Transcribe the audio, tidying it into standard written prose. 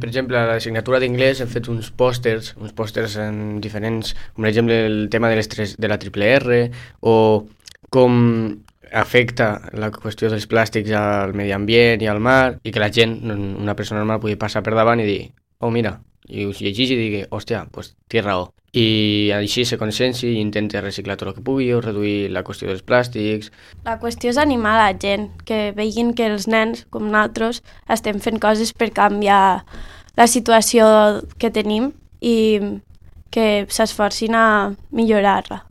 per exemple, a l'assignatura d'inglès hem fet uns pòsters en diferents, com per exemple el tema de la triple R, o com afecta la qüestió dels plàstics al medi ambient i al mar, i que la gent, una persona normal, pugui passar per davant i dir, oh mira, i us llegeix i digui, hòstia, doncs té raó. I així se conscienci i intenta reciclar tot el que pugui o reduir la qüestió dels plàstics. La qüestió és animar la gent, que vegin que els nens, com nosaltres, estem fent coses per canviar la situació que tenim i que s'esforcin a millorar-la.